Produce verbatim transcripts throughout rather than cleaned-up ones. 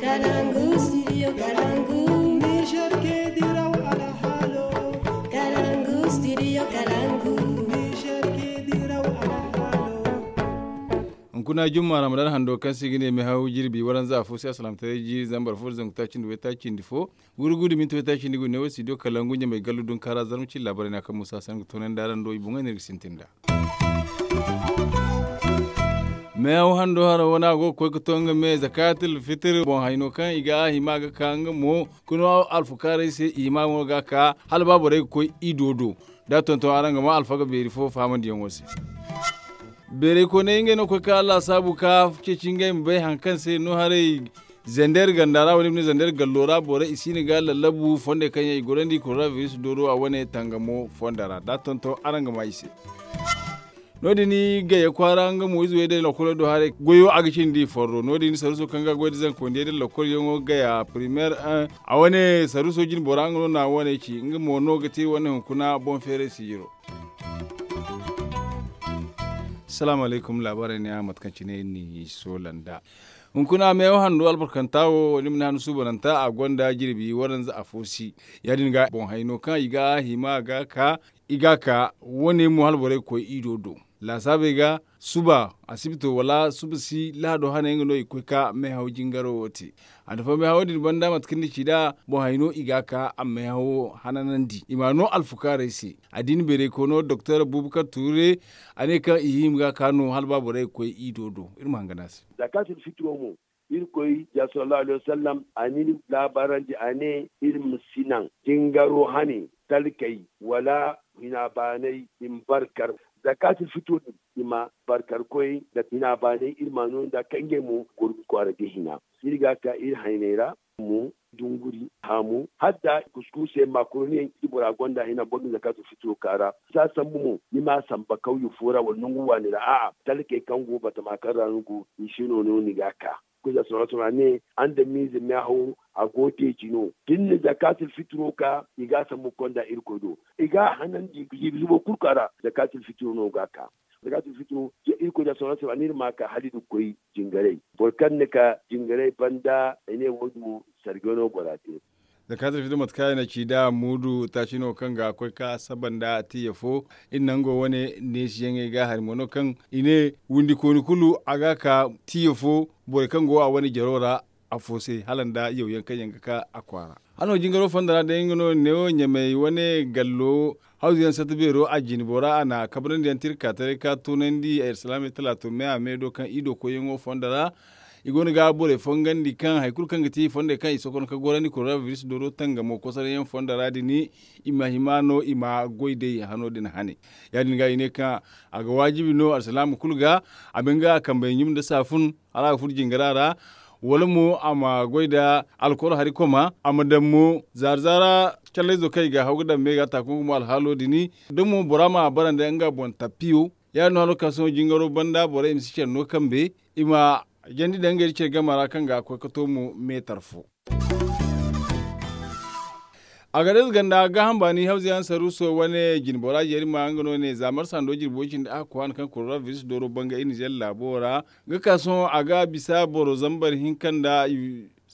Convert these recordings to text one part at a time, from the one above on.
Kalangu studio kalangu. Niger ke diraw alhalo. Kalangu studio kalangu. Niger ke diraw alhalo. Hunkuna jumma ramadan hando kaŋ se i ga ne mehaw jirbi waranza afo se asalamtaray jiiri zambar fo da zangu taaci nda waytaaci nda fo. Wurgu da minti waytaaci nda gu ne wo studio kalangu ɲamay gallu dunkaara zarma cin laabaray na kaŋ musa sangu toonandi araŋ do i boŋey no iri ga sintin nd'a. Meehaw hando haro wane a go ga koy ga to nga me zakatul fitir boŋ hayno kaŋ i ga a hima ga ka nga mo ga no alfukaarey se i hima mo ga ka hala ba borey ga koy ido do. Da tonton araŋ ga ma alfaga beeri fo fahamandiyaŋo se. Beerey kooney ngey no koy ka laasaabu ka ceeci ngey ma bay haŋ kaŋ se no haray. Zander ganda ra wala i ma ne zander gallo ra borey i siina ga lallabu fondey kaŋ yaŋ i gorandi koronabiris dooro a wane tangamo fondo ra da tonton araŋ ga ma i se. No- din gayya kwaara nga mo ize wey day lakkolo do haray goyo a ga cindi forro no- din saruso kaŋ ga goy da zankondiyey da lakkol yaŋo gaya primaire un a wane saruso jine bora nga no na wane ci nga mo no ga te wane hunkuna boŋ feeray sijiro. Salaamu alaykum laabaarey ne a mate kaŋ cine iri n'i soola nd'a. Hunkuna meewo handu albarkanta wo ni ma ne handu suubananta a gonda jirbi waranza afo si. Ya- din ga boŋ hayno kaŋ i ga a hima ga ka i ga a ka wane mo hala borey ga koy ido do. Laasaabey ga suba asibito wala suba si lahado hane nga no i ga koy ka meehaw jingaro wo te. A na fo meehawo din banda mate kaŋ ni ci nd'a boŋ hayno i ga a ka a meehawo hananandi i ma a no alfukaarey se. Addiini beeray koono doktor bubakar tuure a ne kaŋ i hima ga ka no hala ba borey ga koy ido do iri ma hangan a se. Zakatul fitiro mo irkoy ja sallallahu alaihi wasallam a n'iri laabaarandi a ne iri ma si naŋ jingaro hane talkey wala hina baanay i ma barkar. Zakatul fitiro din i ma barkar koy nda hina baanay iri ma a no nd'a kaŋ ngey mo goro ga kwaara ga hina. Iri ga ka iri hayney ra mo dunguri haamu hala da kuskuusey makaroni yaŋ kaŋ bora gonda hina boro ga zakatul fitiro ka ra. Za sambu mo ni ma a samba kawye fo ra wala nangu waani ra a'a talkey kaŋ go batama kaŋ ra ni go i se no no ni ga a ka. Kuza sora sora ne andamiize meehawo a go deeji no da ni na zakatul fitiro ka i ga a sambu ga konda irkoy do. I ga a hanandi jiibi zubo kulu ka ra zakatul fitiro no ga a ka. Zakatul fitiro irkoy da sora sora ne iri ma a ka hala iri ga koy jingaray. Boro kaŋ na ka jingaray banda i ne wo- din wo sargay no bora te. Zakatul fitiro mate kaŋ i na ci nd'a muudu taaci no kaŋ ga koy ka saba nda tiya fo. Iri nango wane neesiyaŋey ga hari mo no kaŋ i ne windi kooni kulu a ga ka tiya fo borey kaŋ go a wane jaro ra afo se hala nda yawyaŋ kaŋ yaŋ ga ka a kwaara. Hano jingaro fondo ra day nga no neewo ɲamey wane gallo hawzu yaŋ satta beero a jine bora a na kabrandi yaŋ te iri ka taray ka toonandi ay alsilaamey talaato me a me do kaŋ i do koyyaŋo fondo ra. I go no ga borey fongandi kaŋ hari kulu kaŋ ga te i fondey kaŋ i sokono ka gorandi koronabiris dooro tangamo kosoray yaŋ fondo ra din i ma hima no i ma goy day hano din hane. Ya- din ga i ne kaŋ a ga waajibi no alsilaama kulu ga a ma nga kambey ɲum nda saafun hala a ga furo jingara ra. Wala mo a ma goy nda alkol hari koma a ma daŋ mo zaara zaara callayzo kaŋ i ga haw ga daŋ me ga taakun gumo alhaalo din da mo bora ma a bara nda nga boŋ tappiyo. Ya- din no halo kaŋ sohõ jingaro banda borey i ma si care no kambe i ma jandi daŋ ngey nda care game ra kaŋ ga koy ga to mo meetar fo. Agades ganda gaaham baani hawza yaŋ saruuso wane jine bora jeeri ma nga no ne za marsa ndo jirbi way cindi a ga koy a na kaŋ koronabiris dooro banga iri nizer laabo ra. Ga ka sohõ a ga bisa boro zambar hinka nda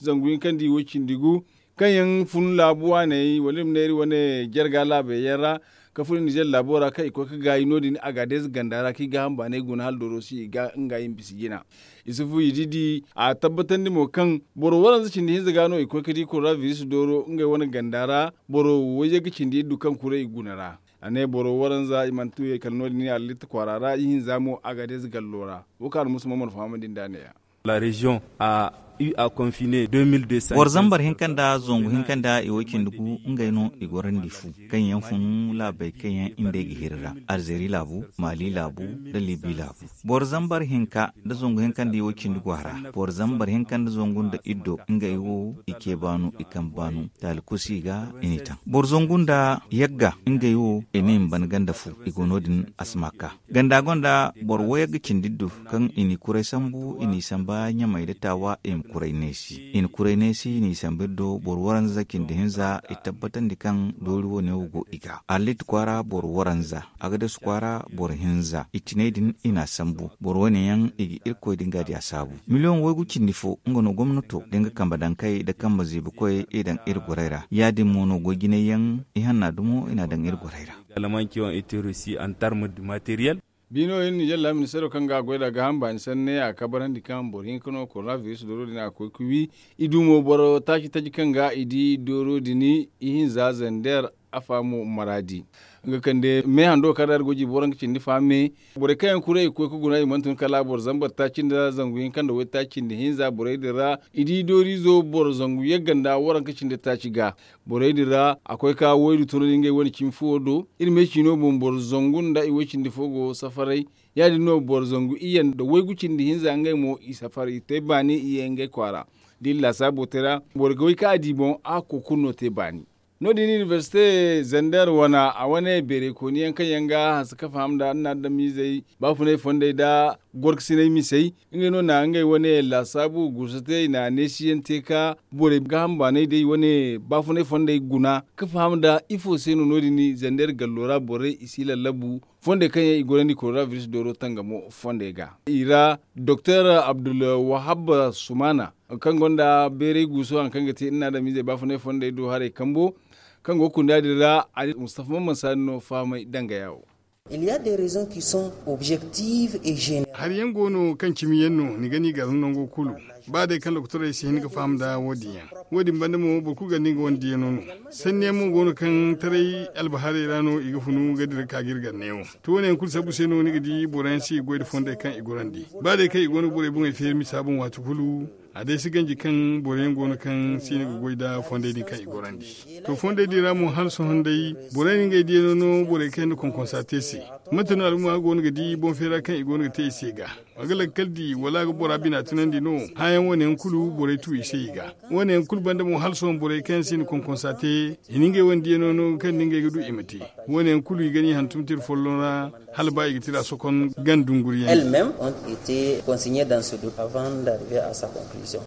zangu hinka nda i way cindi gu kaŋ yaŋ fun laabu waaney wala iri ma ne iri wane jarga laabey yaŋ ra. Ka fun iri nizer laabo ra kaŋ i koy ga gaayi no- din agades ganda ra kaŋ i gaaham baaney guna hala dooro si i ga nga i ma bisa jina. Isufu i didi a tabbatandi mo kaŋ boro waranza cindi hinza ga no i koy ga di koronabiris dooro ngey wane ganda ra. Boro wayye ga cindi iddu kaŋ kuray i guna ra. A ne boro waranza i mana tuuyey kala no- din i halitta kwaara ra ihinza mo agades gallo ra. Wo kaŋ a na musa mo mana fahamandi nd'a ne- ya. La reziyoŋ a u a konfine deux mille deux cents. Boro zambar hinka nda zangu hinka nda i way cindi gu ngey no i gorandi fu kaŋ yaŋ fun laabey kaŋ yaŋ i nd'ey ga hiri ra, alzeri laabu, maali laabu, nda libi laabu. Boro zambar hinka nda zangu hinka nda i way cindi gu a ra. Boro zambar hinka nda zangu nda iddo ngey wo i ce baanu i kambe baanu taali kusi ga i n'i taŋ. Boro zangu nda yagga ngey wo i ne i ma ban ganda fu i go no- din a si ma ka. Ganda gonda boro wayagga cindi iddu kaŋ i n'i kuray sambu i n'i samba ɲamey nda taawa i ma Kuray neesi i na kuray neesi n'i sambu iri do boro waranza cindi hinza i tabbatandi kaŋ doori wo-ne wo go i ga arlit kwaara boro waranza, agadas kwaara boro hinza i tinay din i n'a sambu. Boro wo-ne yaŋ i ga irkoy din ga di a saabu miliyoŋ waygu cindi fo nga no gomnato da nga kambe daŋ kay nda kambe ziibi koy i daŋ iri gorey ra ya-din mo no goy jinay yaŋ i hanna dumo i n'a daŋ iri gorey ra. Almanki on ete rosi an tarm de materiel. Biino iri nijar laamin seedo kaŋ ga a goy nd'a gaaham baani sanne a kabarandi kaŋ boro hinka no koronabiris dooro din a ga koy ga wi. I du mo boro taaci taji kaŋ ga i di dooro din ihinza zander. Afa mo maraadi nga kande me hando kaŋ ra iri go jiibi waranka cindi fa me. Borey kaŋ yaŋ kuray i ga koy ga guna i mana tun kala boro zambar taaci nda zangu hinka nda waytaaci nda hinza borey din ra. I di dooriizo boro zangu yagga nda waranka cindi taaci ga. Borey din ra a koy ka waydu tun ngey wane cimi fuwo do. Iri me ciino boŋ boro zangu nda i way cindi fo go safaray. Ya-din no boro zangu iyye nda waygu cindi hinza ngey mo i safar i te baani iyye ngey kwaara. Da iri laasaabo te ra boro ga way ka a di boŋ a ga koy kulu no te baani. No- din inibersite zander wane a wane beerey kooni yaŋ kaŋ yaŋ ga hanse ka faham nda annadamizey baafunay fondey nda gorkasinay misey. Ngey no na ngey wane laasaabu guusa te i na neesiyaŋ te ka borey gaaham baanay day wane baafunay fondey guna ka faham nda ifo se no no- din zander gallo ra borey i si lallabu. Fondey kaŋ yaŋ i gorandi koronabiris dooro tangamo fondey ga i ra doktor abdulwahab sumana kaŋ gonda beeray guuso hari kaŋ ga te iri na adamiizey baafunay fondey do haray kambo kaŋ go ga kunda din ra a di mustafa mamman saani no fahamay dangaya wo. Il y a des raisons qui sont objectives et générales. Hari yaŋ go no kaŋ cimi yaŋ no ni ga ni gar nango kulu. Ba day kaŋ lokotorey si hin ga faham nda wo- din yaŋ wo- din banda mo boro kulu ganda nga wane diyaŋo no. Sanni yaŋ mo go no kaŋ taray albahaarey ra no i ga funu ga dira ka ga iri gar neewo. To wo- ne yaŋ kulu sabbu se no ni ga di boro yaŋ si ga goy nda fondey kaŋ i gorandi. Ba day kaŋ i go no ga borey boŋey feeri misa boŋ waati kulu. A day si ganji kaŋ boro yaŋ go no kaŋ si no ga goy nda fondey din kaŋ i gorandi. To fondey din ra mo hala sohõ day borey na ngey diyaŋo no borey kaŋ yaŋ na konkonsa te se. Mate no al'umma go no ga di boŋ feera kaŋ i go no ga te i se ga? A ga lakkal di wala a ga bora bina tunandi no? Hããyaŋ wo- ne yaŋ kulu borey tu i se i ga. Wo- ne yaŋ kulu banda mo hala sohõ borey kaŋ yaŋ si na konkonsa te i na ngey wane diyaŋo no kaŋ da ngey ga du i ma te. Wo- ne yaŋ kulu i ga ni hantum tira folloŋ ra hala ba i ga tira sokon gan dunguriyaŋ. Elles-mêmes ont été consignées dans ce document avant d'arriver à sa conclusion.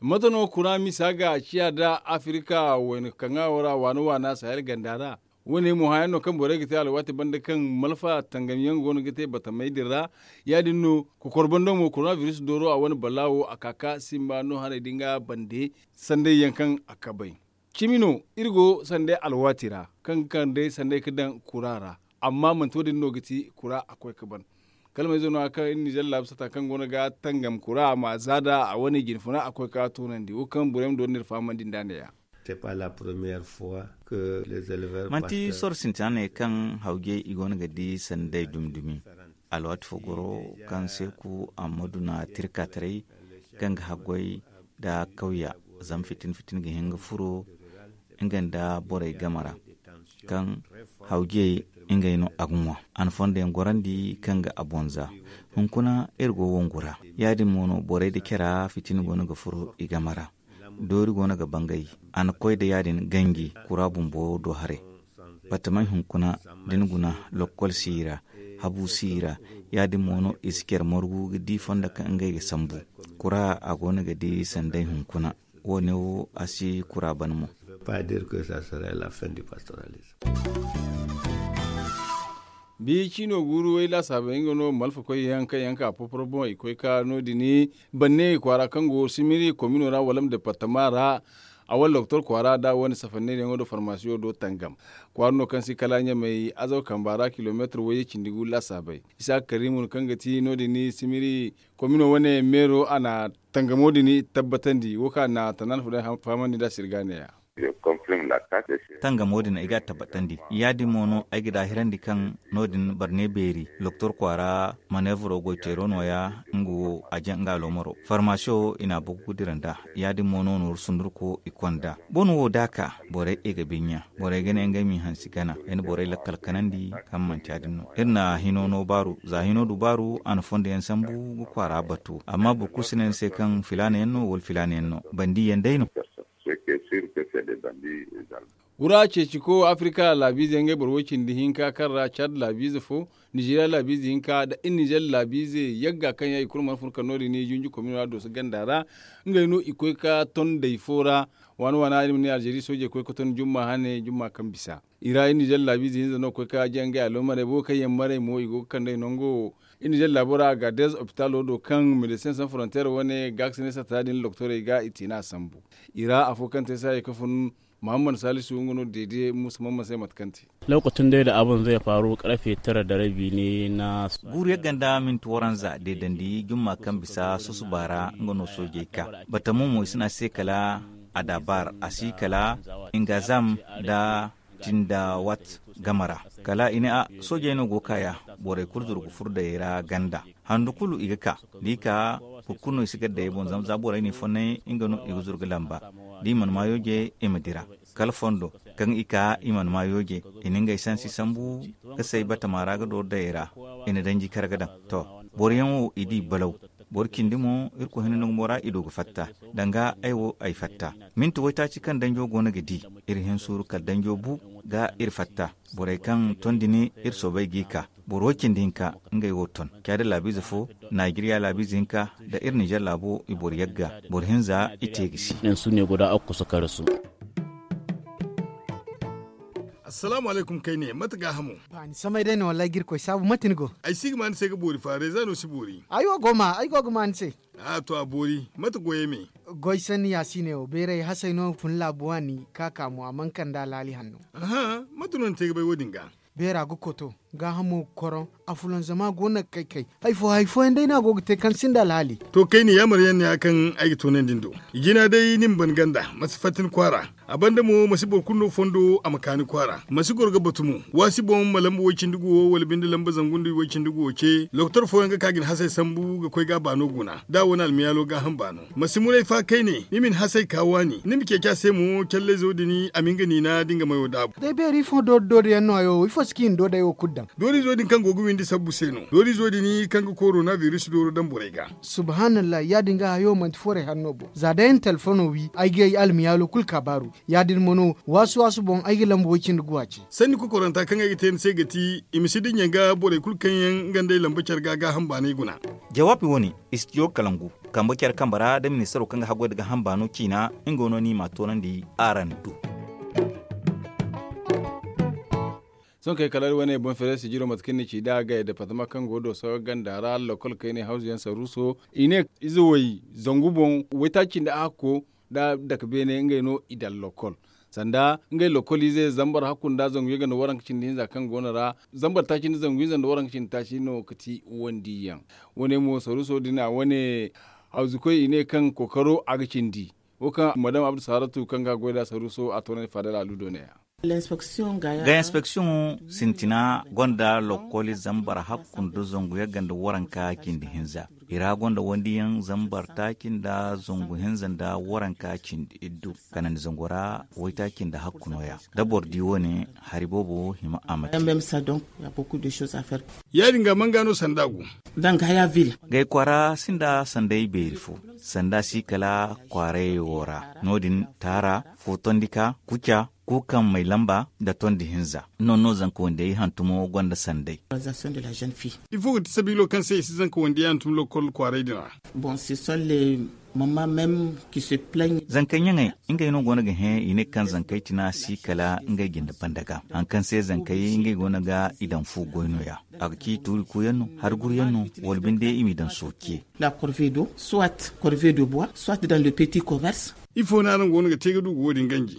Mate no kura misa ga a ciya nda afirika wayna kaŋa wo ra waana waana sahel ganda ra? Wo- ne mo hããyaŋ no kaŋ borey ga te alwaati banda kaŋ malfa tangamyaŋ go no ga te batamey din ra. Ya- din no kokor bando mo koronabiris dooro a wane balaawo a ka ka simba no haray din ga bande. Sanday yaŋ kaŋ a kabay cimi no iri go sanday alwaati ra kaŋ ga kande sanday ga daŋ kura ra. Amma manti wo- din no ga ti kura a koy ga ban. Kala ma izo no- ya kaŋ iri nizer laabu sata kaŋ go no ga tangam kura a ma za nda a wane jinfuna a koy ga toonandi wo kaŋ borey ma doonandi iri fahamandi nd'a ne- ya. Manti soro sintina ne kaŋ hawjey i go no ga di sanday dumi dumi. Alwaati fo goro kaŋ seeku ammadu na tirka taray kaŋ ga haggoy nda kawya zama fitin fitin ga hin ga furo nga nda borey game ra. Kaŋ hawjey ngey no a ga ŋwa a na fondo yaŋ gorandi kaŋ ga a boŋ za. Hunkuna iri go wongu ra ya- din mo no borey nda care fitina go no ga furo i game ra. Doori go no ga bangay a na koy nda ya- din ganji kura bumbo do haray. Batamey hunkuna da ni guna lokkol si i ra. Habu si i ra. Ya- din mo no i si care margu ga di fondo kaŋ ngey ga sambu. Kura a go no ga di sanday hunkuna. Wo- ne wo a si kura ban mo. Bi ciino guuru way laasaabey nga no malfa koy yaŋ kaŋ yaŋ ka poporo boŋ i koy ka no- din banne kwaara kaŋ go simiri komino ra wala ma departama ra. A wala doktor kwaara nda wane safanney yaŋo do farmasiyo do tangam. Kwaara no kaŋ si kala ɲamey azaw kamba ra kilomeetir wayye cindi gu laasaabey. Isa karimu kaŋ ga ti no- din simiri komino wane meero a na tangamo din tabbatandi wo kaŋ a na tanaana fo day fahamandi nda sirga ne- ya. Tangamo din ay ga a tabbatandi ya- din mo no ay ga daahirandi kaŋ no- din barne beeri doktor kwaara maneevro goyteero no- ya. Nga wo a jaŋ nga aloomaro farmasiyo i na a bogu ga dira nd'a. Ya- din mo no nooru sundurko i konda bone wo da a ka borey i ga binya. Borey ga ne ngey m'i hansi gana ay na borey lakkal kanandi kaŋ manti ya- din no iri na hino no baaru za hino du baaru a na fondo yaŋ sambu ga kwaara batu amma boro kulu si ne ni se kaŋ filaana yaŋ no wala filaana yaŋ no bandi yaŋ day no. Wura ceeci ko afirika laabiize ngey boro woy cindi hinka kaŋ ra cad laabiize fo, nizeeriya laabiize hinka nda iri nizeer laabiize yagga kaŋ yaŋ i kulu mana fun kala no- din i junju komino ra dooso ganda ra. Ngey no i koy ka ton day fo ra. Waana waana iri ma ne alzeeri soojey koy ka ton jumma hane jumma kaŋ bisa i ra iri nizeer laabiize hinza no ga koy ka jaŋ ngey allomarey boobo kaŋ yaŋ marey mo i go ga kand'ey nango. Iri nizeer laabo ra agaadez opitalo do kaŋ medesin san foronteer wane gaakasinay satta din doktorey ga i te no a sambu. I ra afo kaŋ te saayey ka fun, mahammad saalisu nga no deede muusa mahammad se mate kaŋ te. Lookaci day da abin zai faru karfe tara da rabi ne na guuru yagga nda minti waranza deedandi jumma kaŋ bisa susuba ra nga no soojey ka bata mo mo i si ne a se kala adabar a si kala ingazam nda tindawat game ra. Kala i ne a soojey no go ga ka ya borey kulu zuru ga furo dayey ra ganda handu kulu i ga ka da i ka boro kulu no i si gar dayey boŋ zama za borey no i fonnay nga no i ga zuru ga lamba da i mana ma yooje i ma dira kala fondo kaŋ i ka i mana ma yooje i na ngey sansi sambu ga say batama ra ga dooru dayey ra i na danji kar ga daŋ. To, boro yaŋ wo i di balaw boro cindi mo irkoy hinne nangu mo ra i du ga fatta danga ay wo ay fatta minti waytaaci kaŋ danjo go no ga di iri hin suuru kala danjo bu ga iri fatta borey kaŋ tondi ni iri soobay g'i ka boro woy cindi hinka ngey wo ton caada laabiize fo, naajeeriya laabiize hinka nda iri nizeer laabo i boro yagga boro hinza i te ga si. Nansu ne guda a ga kusa karasu. Assalaamu alaykum kayne mate gaahamo? Ba ni samay day no wallaahi ga irkoy saabu mate ni go? Ay si ga ma ni se ga boori fa reeza no si boori. Ay wo go ma ay go ga ma ni se. A to a boori. Mate goyey me? Goy sanni ya si ne wo beeray hasay no fun laabu waani ka ka mo a mana kande alhaali hanno. Aha, mate no ni te ga bay wo- din ga? Beera ga koto, gaahamo ga koroŋ, afulanzama go no ga kay kay. Hari fo hari fooyaŋ day no a go ga te kaŋ sinda alhaali. To kayne yaamar yaŋ no ya kaŋ ay ga toonandi ni do. Jina day ni ma ban ganda ma si fatta ni kwaara. A banda mo ma si boro kulu no fondo a ma ka ni kwaara ma si goro ga batu mo. Waasi boŋ ma lamba way-cindi guwo wala binde lamba zangu nda way-cindi guwo ce doktor fooyaŋ ga ka ga ni hasey sambu ga koy ga a baano guna da a wane almiyaalo gaaham baano. Ma si muray fa kayne ni ma ni hasey ka waani ni ma ceeci a se mo callayzo din a ma nga niina da nga mayo daabu. Day beeri ifo doori doori yaŋ no hayo ifo si ka i na doodey wo kulu daŋ. Doorizo din kaŋ go ga windi sabbu se no doorizo din kaŋ ga korona biris dooro daŋ borey ga. Subhanallah ya- din ga hayo manti forey hanno boŋ za day ay na telefono wi ay ga ay almiyaalo kulu kaabaaru. Ya- din mo no waasu waasu boŋ ay ga lamba way- cindi guwa ce. Sanni kokoranta kaŋ ay ga te ni se ga ti i ma si dinya ga borey kulu kaŋ yaŋ nga nd'ey lamba care ga gaaham baanay guna. Jawaabi wo- ne, istijo kalangu kambe care kambe ra nda ministaro kaŋ ga haggoy nda gaaham baano ciina nga no no i m'a toonandi araŋ du. Sohõ kay kala iri wane boŋ feere sijiro mate kaŋ ni ci nd'a gay departama kaŋ go dooso ganda ra lokol kayne hawzu yaŋ saruuso i ne ize way zangu boŋ waytaaci nda hakko nda dake beene ngey no i daŋ lokol. Sanda ngey lokol ize zambar hakku nda zangu yagga nda waranka cindi hinza kaŋ go no ra zambar taaci nda zangu hinza nda waranka cindi taaci no ga ti wandiyaŋ. Wane mo saruuso din a wane hawzukoy i ne kaŋ kookaro a ga cindi. Wo kaŋ madam abdu saaratu kaŋ ga goy nd'a saruuso a toonandi faadal aludo ne ya. Ga inspeksiyoŋo sintina gonda lokoli zambar hakku nda zangu yagga nda waranka cindi hinza. I ra gonda wandiyaŋ zambar taaci nda zangu hinza nda waranka cindi iddu. Kanandi zango ra waytaaci nda hakku no- ya da boro di wo- ne hari boobo hima a ma te. Ya- din ga manga no sanda go? Gay kwaara sinda sanday beeri fo. Sanda si kala kwaarayey wo ra no- din taara, fotondika, kuca, kuukaŋ may lamba nda tondi hinza. Noŋ no zanka wandiyey hantumo gonda sanday. Ifo ga ti sabiilo kaŋ se i si zanka wandiyey hantum lokol kwaaray din ra? Zankey ɲaŋey ngey no go no ga hẽ i ne kaŋ zankey tina si kala ngey jinde banda ga. Hari kaŋ se zankey ngey go no ga i daŋ fu goy no- ya. A ga ci tuuri kuuyaŋ no, hari guruyaŋ no, wala binde i m'i daŋ sooce. Ifo no araŋ go no ga te ga du ga wo- din ganji?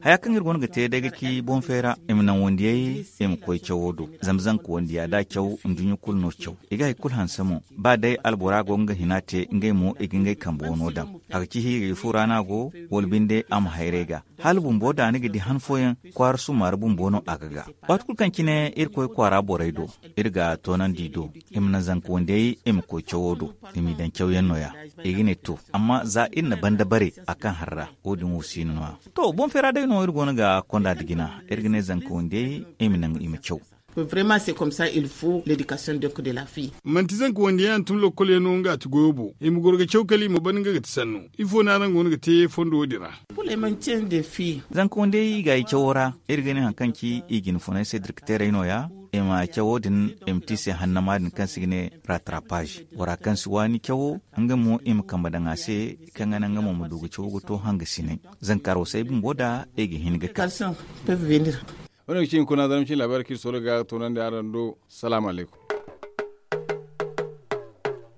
Haya kaŋ iri go no ga te day ga ci boŋ feera i ma naŋ wandiyey, i ma koy cawo do. Zama zanka wandiya da a caw nduɲɲa kulu no caw. I ga hari kulu hanse mo. Ba day albora go nga hina te ngey mo i ga ngey kambe wano daŋ. A ga ci hiigay fu ra no a go, wala binde a ma hayray ga. Hala bumbo da ni ga di han fooyaŋ, kwaara summaari bumbo no a ga ga. Waati kulu kaŋ cine iri koy kwaara borey do, iri ga toonandi i do, i ma naŋ zanka wandiyey, i ma koy cawo do. I m'i daŋ cawyaŋ no- ya. I ga ne to, amma za iri na banda bare a kaŋ har ra, wo- din wo si no- ya. To boŋ feera day no iri go no ga konda nda jina. Iri ga ne zanka wandiyey, i ma naŋ i ma caw. Vraiment c'est comme ça il faut l'éducation donc de la fille. Manti zanka wande yaŋ tun lokol yaŋ no nga ti goyo bo i ma goro ga caw kala i ma ban nga ga ti sanno. Ifo no araŋ go no ga te fondo wo din ra? Pour les mantiens de fille. Zanka wande i ga i cawo ra. Iri ga ne hari kaŋ ci i jine funay se direkteerey no- ya. I ma cawo din i ma te i se hannama din kaŋ se i ga ne rattrapage bora kaŋ si waani cawo. Nga mo i ma kambe daŋ a se kaŋ ga naŋ nga mo ma du ga cawo ga to hangasinay. Zanka roosey bumbo da i ga hin ga kar. Wane ga ci hunkuna zarma cine laabaari kaŋ iri solo ga toonandi araŋ do. Salaamu alaykum.